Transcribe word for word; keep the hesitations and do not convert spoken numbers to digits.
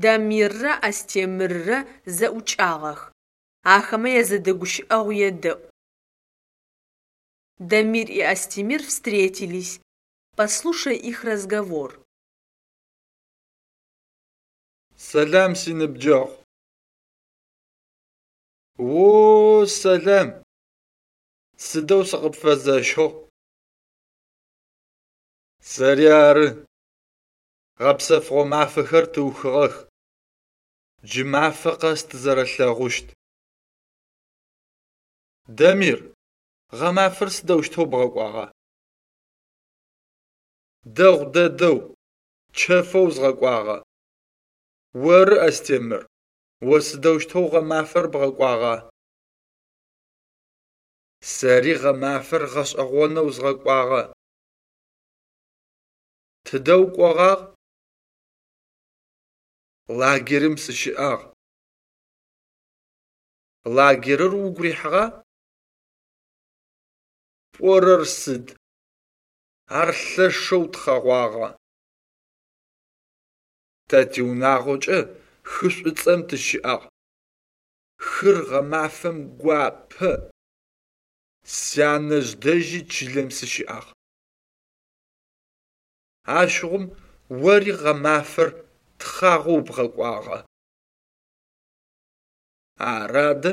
Дамиррэ Астемыррэ зэӏукӏагъэх. Ахэмэ язэдэгущыӏэгъу едэӏу. Дамир и Астемир встретились. Послушай их разговор. Сэлам, синыбджэгъу. О, сэлам! Сыдэу сыкъыпфэзэщыгъ. Сэри ары. Гъэпсэфыгъо мафэхэр тыухыгъэх. Джы мафэ къэс тызэрэлъэгъущт. Дамир, гъэмафэр сыдэущтэу бгъэкӏуагъа? Дэгъу дэдэу, чэфэу згъэкӏуагъэ. Оры, Астемыр, о сыдэущтэу гъэмафэр бгъэкӏуагъа? Сэри гъэмафэр гъэшӏэгъонэу згъэкӏуагъэ. Тыдэ укӏогъагъ? Лагерым сыщыӏагъ. Лагерыр угу рихьыгъа? Пӏорэр сыд? Ар лъэшэу тхъэгъуагъэ! Тэ тиунагъокӏэ хы Шӏуцӏэм тыщыӏагъ. Хыр гъэмафэм гуапэ. Сянэжъ дэжьи чылэм сыщыӏагъ. Ащыгъум ори гъэмафэр тхъагъоу бгъэкӏуагъэ. Ары адэ.